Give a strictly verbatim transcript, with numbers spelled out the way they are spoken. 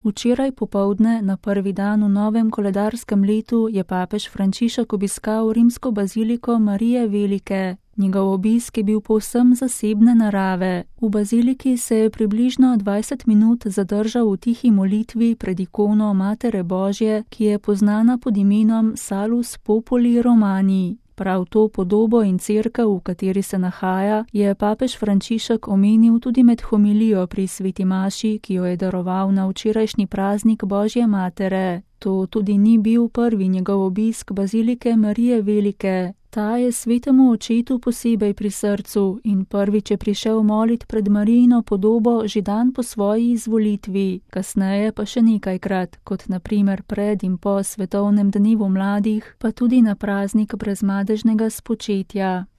Včeraj popoldne, na prvi dan v novem koledarskem letu, je papež Frančišek obiskal rimsko baziliko Marije Velike. Njegov obisk je bil povsem zasebne narave. V baziliki se je približno dvajset minut zadržal v tihi molitvi pred ikono Matere Božje, ki je poznana pod imenom Salus Populi Romani. Prav to podobo in cerkev, v kateri se nahaja, je papež Frančišek omenil tudi med homilijo pri sveti maši, ki jo je daroval na včerajšnji praznik Božje matere. To tudi ni bil prvi njegov obisk bazilike Marije Velike. Ta je svetemu očetu posebej pri srcu in prvič je prišel molit pred Marijino podobo že dan po svoji izvolitvi, kasneje pa še nekajkrat, kot na primer pred in po svetovnem dnevu mladih, pa tudi na praznik brezmadežnega spočetja.